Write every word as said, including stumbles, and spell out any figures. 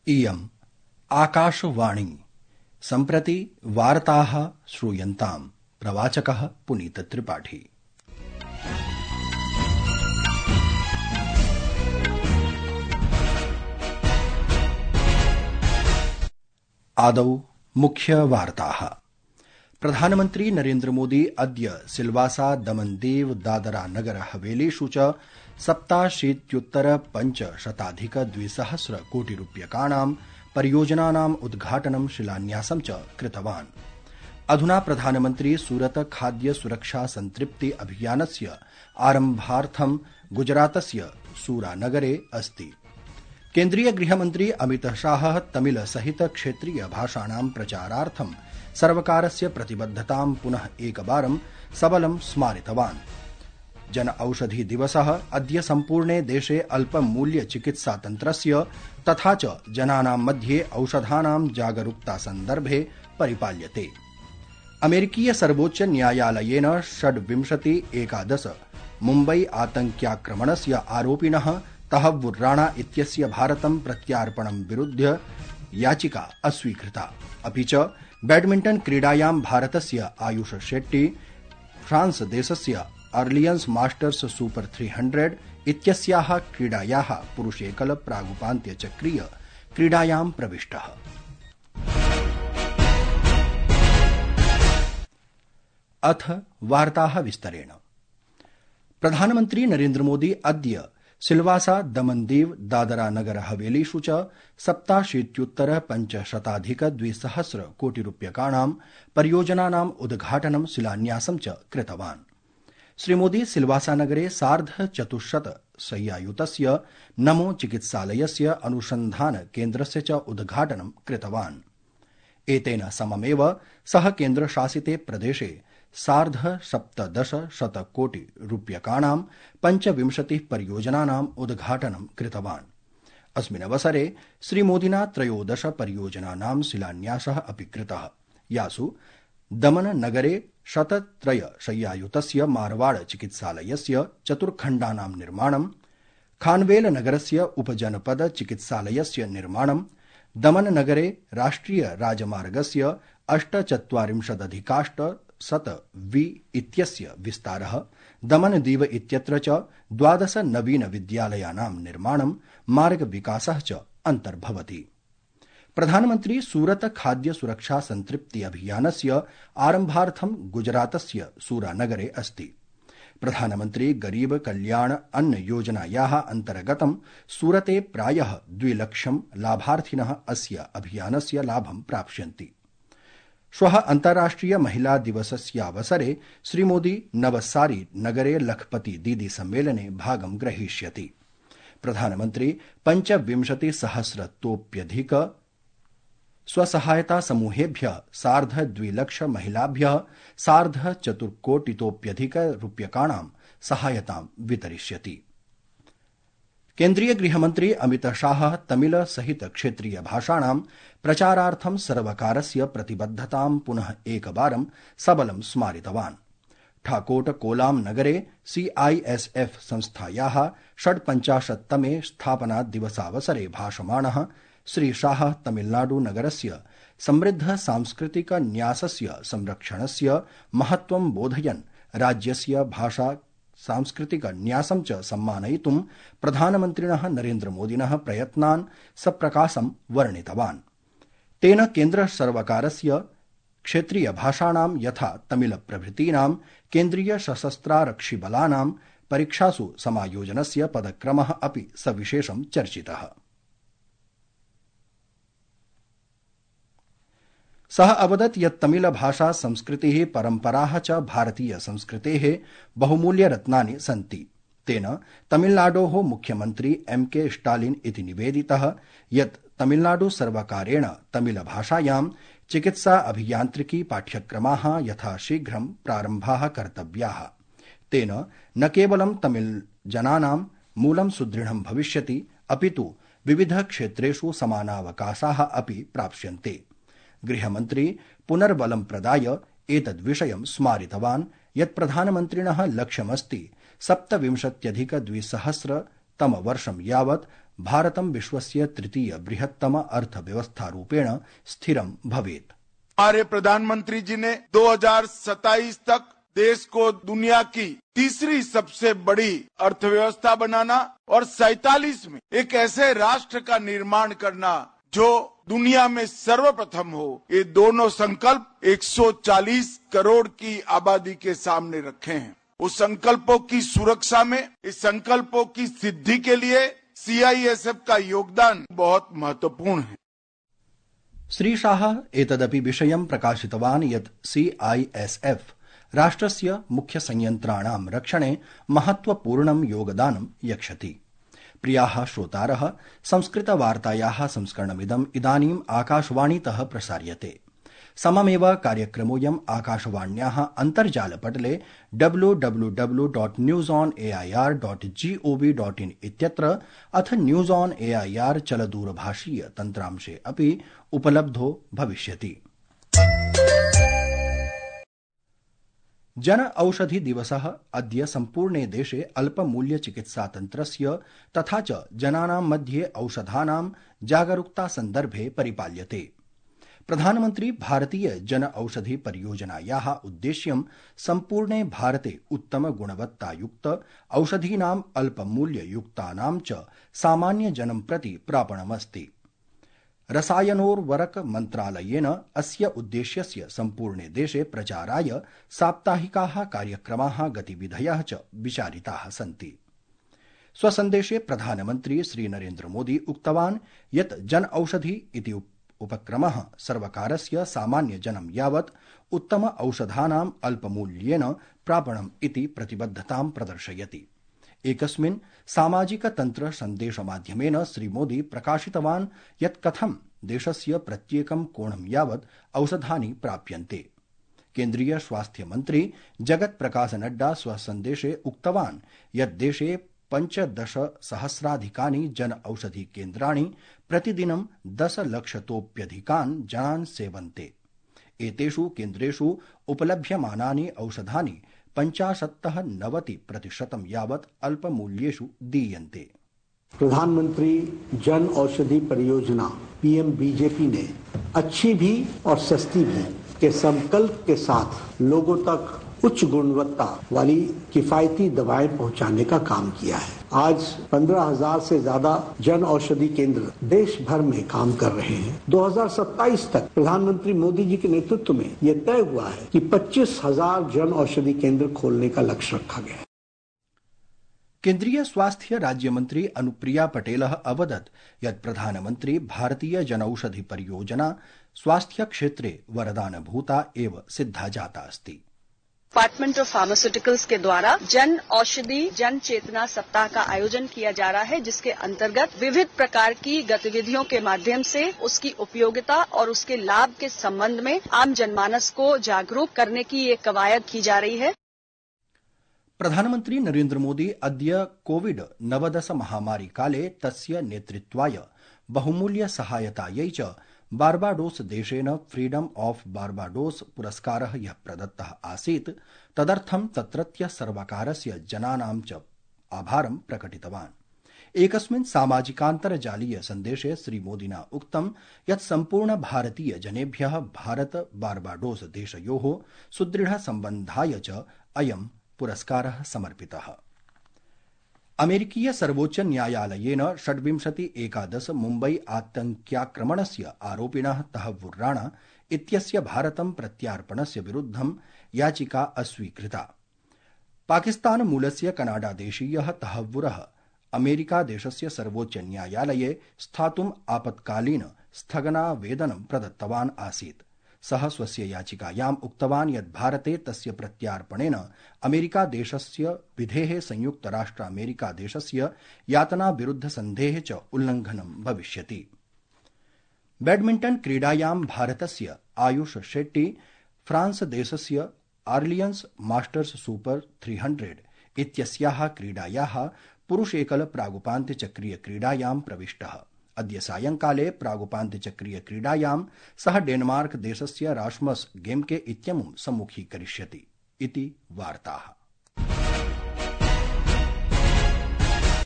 इयम् आकाशवाणी सम्प्रति वार्ताः श्रूयन्ताम्। प्रवाचकः पुनीत त्रिपाठी। आदौ मुख्य वार्ताः। प्रधानमन्त्री नरेन्द्र मोदी अद्य सिलवासा दमनदीव दादरा नगर हवेलीषु च सप्ताशीत्युत्तर पञ्चशताधिक द्विसहस्र कोटिरूप्यकाणां परियोजनानाम् उद्घाटनं शिलान्यासं च कृतवान्। अधुना प्रधानमन्त्री सूरत खाद्य सुरक्षा संतृप्ति अभियानस्य आरम्भार्थं गुजरातस्य सूरानगरे अस्ति। केन्द्रीय गृहमन्त्री अमित शाह तमिल सहित क्षेत्रीय भाषाणां प्रचारार्थं सर्वकारस्य प्रतिबद्धतां पुनः एकवारं सबलं स्मारितवान्। जन औषधि दिवसः अद्य सम्पूर्णे देशे अल्पमूल्य चिकित्सा तन्त्रस्य तथा च जनानां मध्ये औषधानां जागरूकता सन्दर्भे परिपाल्यते। अमेरिकीय सर्वोच्च न्यायालयेन षड्विंशति एकादश मुम्बई आतंक्याक्रमणस्य आरोपिणः तहव्वुर राणा इत्यस्य भारतं प्रत्यार्पणं विरुध्य याचिका अस्वीकृता। अपि च बैडमिण्टन क्रीडायां भारतस्य आयुष शेट्टी फ्रांस देशस्य अर्लियंस मास्टर्स सुपर थ्री हंड्रेड इत्यस्याः क्रीडायाः पुरुषेकल प्रागुपान्त्यचक्रीय क्रीडायां प्रविष्टः। अथ वार्ताः विस्तरेण। प्रधानमन्त्री नरेन्द्र मोदी अद्य सिलवासा दमनदीव दादरा नगर हवेलीषु च सप्ताशीत्युत्तर पञ्चशताधिक द्विसहस्र कोटिरूप्यकाणां परियोजनानाम् उद्घाटनं शिलान्यासं च कृतवान्। श्रीमोदी सिलवासा नगरे सार्ध चतुश्शत शय्यायुतस्य नमो चिकित्सालयस्य अनुसन्धान केन्द्रस्य च उद्घाटनं कृतवान्। एतेन सममेव सः केन्द्रशासिते प्रदेशे सार्ध सप्तदश शत कोटि रूप्यकाणां पञ्चविंशतिः परियोजनानाम् उद्घाटनं कृतवान्। अस्मिन् अवसरे श्रीमोदिना त्रयोदश परियोजनानां शिलान्यासः अपि कृतः, यासु दमन नगरे शतत्रय शय्यायुतस्य मारवाड़ चिकित्सालयस्य चतुर्खण्डानां निर्माणं, खानवेल नगरस्य उपजनपद चिकित्सालयस्य निर्माणं, दमन नगरे राष्ट्रिय राजमार्गस्य अष्टचत्वारिंशदधिकाष्ट शत वि इत्यस्य विस्तारः, दमनदीव इत्यत्र च द्वादश नवीन विद्यालयानां निर्माणं, मार्ग विकासः च अन्तर्भवति। प्रधानमन्त्री सूरत खाद्य सुरक्षा संतृप्ति अभियानस्य आरम्भार्थं गुजरातस्य सूरानगरे अस्ति। प्रधानमन्त्री गरीब कल्याण अन्न योजनायाः अन्तर्गतं सूरते प्रायः द्विलक्षं लाभार्थिनः अस्य अभियानस्य लाभं प्राप्स्यन्ति। श्वः अन्ताराष्ट्रिय महिला दिवसस्यावसरे श्रीमोदी नवसारी नगरे लखपति दीदी सम्मेलने भागं ग्रहीष्यति। प्रधानमन्त्री पञ्चविंशति सहस्रतोऽप्यधिक स्वसहायता समूहेभ्यः सार्ध द्विलक्ष महिलाभ्यः सार्ध चतुर्कोटितोऽप्यधिक रूप्यकाणां सहायतां वितरिष्यति। केन्द्रीय गृहमन्त्री अमित शाह तमिल सहित क्षेत्रीय भाषाणां प्रचारार्थं सर्वकारस्य प्रतिबद्धतां पुनः एकवारं सबलं स्मारितवान्। ठाकोट कोलाम नगरे सीआईएसएफ संस्थायाः षड्पञ्चाशत्तमे स्थापना दिवसावसरे भाषमाणः श्री शाह तमिलनाडु नगरस्य समृद्ध सांस्कृतिक न्यासस्य संरक्षणस्य महत्त्वं बोधयन् राज्यस्य भाषा सांस्कृतिक न्यासं च सम्मानयितुं प्रधानमन्त्रिणः नरेन्द्र मोदिनः प्रयत्नान् सप्रकाशं वर्णितवान्। तेन केन्द्र सर्वकारस्य क्षेत्रीय भाषाणां यथा तमिल प्रभृतीनां केन्द्रीय सशस्त्रारक्षिबलानां परीक्षासु समायोजनस्य पदक्रमः अपि सविशेषं चर्चितः। सः अवदत् यत् तमिल भाषा संस्कृतिः परम्पराः च भारतीय संस्कृतेः बहुमूल्यरत्नानि सन्ति। तेन तमिलनाडोः मुख्यमन्त्री एम के स्टालिन इति निवेदितः यत् तमिलनाडु सर्वकारेण तमिल भाषायां चिकित्सा अभियान्त्रिकी पाठ्यक्रमाः यथाशीघ्रं प्रारम्भाः कर्तव्याः। तेन न केवलं तमिल जनानां मूलं सुदृढं भविष्यति, अपितु विविध क्षेत्रेषु समानावकाशाः अपि प्राप्स्यन्ते। गृहमन्त्री पुनर्बलं प्रदाय एतद्विषयं स्मारितवान् यत् प्रधानमन्त्रिणः लक्ष्यमस्ति सप्तविंशत्यधिक द्विसहस्र तमवर्षं यावत् भारतं विश्वस्य तृतीय बृहत्तम अर्थव्यवस्थारूपेण स्थिरं भवेत्। हमारे प्रधानमंत्री जी ने दो हज़ार सत्ताईस तक देश को दुनिया की तीसरी सबसे बड़ी अर्थव्यवस्था बनाना और सैतालीस में एक ऐसे राष्ट्र का निर्माण करना जो दुनिया में सर्वप्रथम हो, ये दोनों संकल्प एक सौ चालीस करोड़ की आबादी के सामने रखे हैं। उस संकल्पों की सुरक्षा में, इस संकल्पों की सिद्धि के लिए सीआईएसएफ का योगदान बहुत महत्वपूर्ण है। श्री शाह एतदपि विषयं प्रकाशितवान् यत् सीआईएसएफ राष्ट्रस्य मुख्य संयंत्राणां रक्षणे महत्वपूर्णं योगदानं यच्छति। प्रियाः श्रोतारः, संस्कृतवार्तायाः संस्करणमिदम् इदानीम् आकाशवाणीतः प्रसार्यते। सममेव कार्यक्रमोऽयम् आकाशवाण्याः अन्तर्जालपटले W W W dot news on AIR dot gov dot in इत्यत्र अथ न्यूज ऑन एआईआर चलदूरभाषीय तन्त्रांशे अपि उपलब्धो भविष्यति। जन औषधि दिवसः अद्य सम्पूर्णे देशे अल्पमूल्य चिकित्सातन्त्रस्य तथा च जनानां मध्ये औषधानां जागरूकता सन्दर्भे परिपाल्यते। प्रधानमन्त्री भारतीय जन औषधि परियोजनायाः उद्देश्यं सम्पूर्णे भारते उत्तम गुणवत्तायुक्त औषधीनाम् अल्पमूल्ययुक्तानां च सामान्य जनं प्रति प्रापणमस्ति। रसायनोर्वरक मन्त्रालयेन अस्य उद्देश्यस्य सम्पूर्णे देशे प्रचाराय साप्ताहिकाः कार्यक्रमाः गतिविधयः च विचारिताः सन्ति। स्वसन्देशे प्रधानमन्त्री श्रीनरेन्द्र मोदी उक्तवान् यत् जन औषधि इति उपक्रमः सर्वकारस्य सामान्य जनं यावत् उत्तम औषधानाम् अल्पमूल्येन प्रापणम् इति प्रतिबद्धतां प्रदर्शयति। एकस्मिन् सामाजिक तन्त्र सन्देशमाध्यमेन श्रीमोदी प्रकाशितवान् यत् कथं देशस्य प्रत्येकं कोणं यावत् औषधानि प्राप्यन्ते। केन्द्रीय स्वास्थ्य मन्त्री जगत् प्रकाश नड्डा स्वसन्देशे उक्तवान् यत् देशे पञ्चदश सहस्राधिकानि जन औषधि केन्द्राणि प्रतिदिनं दश लक्षतोऽप्यधिकान् जनान् सेवन्ते। एतेषु केन्द्रेषु उपलभ्यमानानि औषधानि पंचाशत्तः नवति प्रतिशतं यावत् अल्पमूल्येषु दीयन्ते। प्रधानमंत्री जन औषधि परियोजना पीएम बीजेपी ने अच्छी भी और सस्ती भी के संकल्प के साथ लोगों तक उच्च गुणवत्ता वाली किफायती दवाएं पहुंचाने का काम किया है। आज पंद्रह हजार से ज्यादा जन औषधि केंद्र देश भर में काम कर रहे हैं। दो हज़ार सत्ताईस तक प्रधानमंत्री मोदी जी के नेतृत्व में यह तय हुआ है कि पच्चीस हजार जन औषधि केंद्र खोलने का लक्ष्य रखा गया है। केन्द्रीय स्वास्थ्य राज्यमन्त्री अनुप्रिया पटेलः अवदत् यत् प्रधानमन्त्री भारतीय जनौषधि परियोजना स्वास्थ्य क्षेत्रे वरदानभूता एव सिद्धा जाता अस्ति। डिपार्टमेंट ऑफ फार्मास्यूटिकल्स के द्वारा जन औषधि जन चेतना सप्ताह का आयोजन किया जा रहा है, जिसके अंतर्गत विविध प्रकार की गतिविधियों के माध्यम से उसकी उपयोगिता और उसके लाभ के संबंध में आम जनमानस को जागरूक करने की ये कवायद की जा रही है। प्रधानमन्त्री नरेन्द्र मोदी अद्य कोविड नवदश महामारी काले तस्य नेतृत्वाय बहुमूल्य सहायतायै च बार्बाडोस देशेन फ्रीडम ऑफ बार्बाडोस पुरस्कारः यः प्रदत्तः आसीत् तदर्थं तत्रत्य सर्वकारस्य जनानां च आभारं प्रकटितवान्। एकस्मिन् सामाजिकान्तर्जालीय सन्देशे श्रीमोदिना उक्तं यत् सम्पूर्ण भारतीय जनेभ्यः भारत बार्बाडोस देशयोः सुदृढ सम्बन्धाय च अयं पुरस्कारः समर्पितः। अमेरिकीय सर्वोच्च न्यायालयेन षड्विंशति एकादश मुम्बई आतङ्क्याक्रमणस्य आरोपिणः तहव्वुर राणा इत्यस्य भारतं प्रत्यार्पणस्य विरुद्धं याचिका अस्वीकृता। पाकिस्तान मूलस्य कनाडादेशीयः तहव्वुरः अमेरिकादेशस्य सर्वोच्च न्यायालये स्थातुम् आपत्कालीन स्थगनावेदनं प्रदत्तवान् आसीत्। सः स्वस्य याचिकायाम् उक्तवान् यत् भारते तस्य प्रत्यार्पणेन अमेरिकादेशस्य विधेः संयुक्तराष्ट्र अमेरिकादेशस्य यातना विरुद्ध सन्धेः च उल्लङ्घनं भविष्यति। बैडमिण्टन् क्रीडायां भारतस्य आयुष शेट्टी फ्रांस देशस्य आर्लियन्स मास्टर्स सुपर तीन सौ इत्यस्याः क्रीडायाः पुरुषेकल प्रागुपान्त्यचक्रीय क्रीडायां प्रविष्टः। अद्य सायंकाले प्रागुपान्त्यचक्रीय क्रीडायां सः डेनमार्क देशस्य रास्मस् गेम्के इत्यमुं सम्मुखीकरिष्यति इति वार्ताः।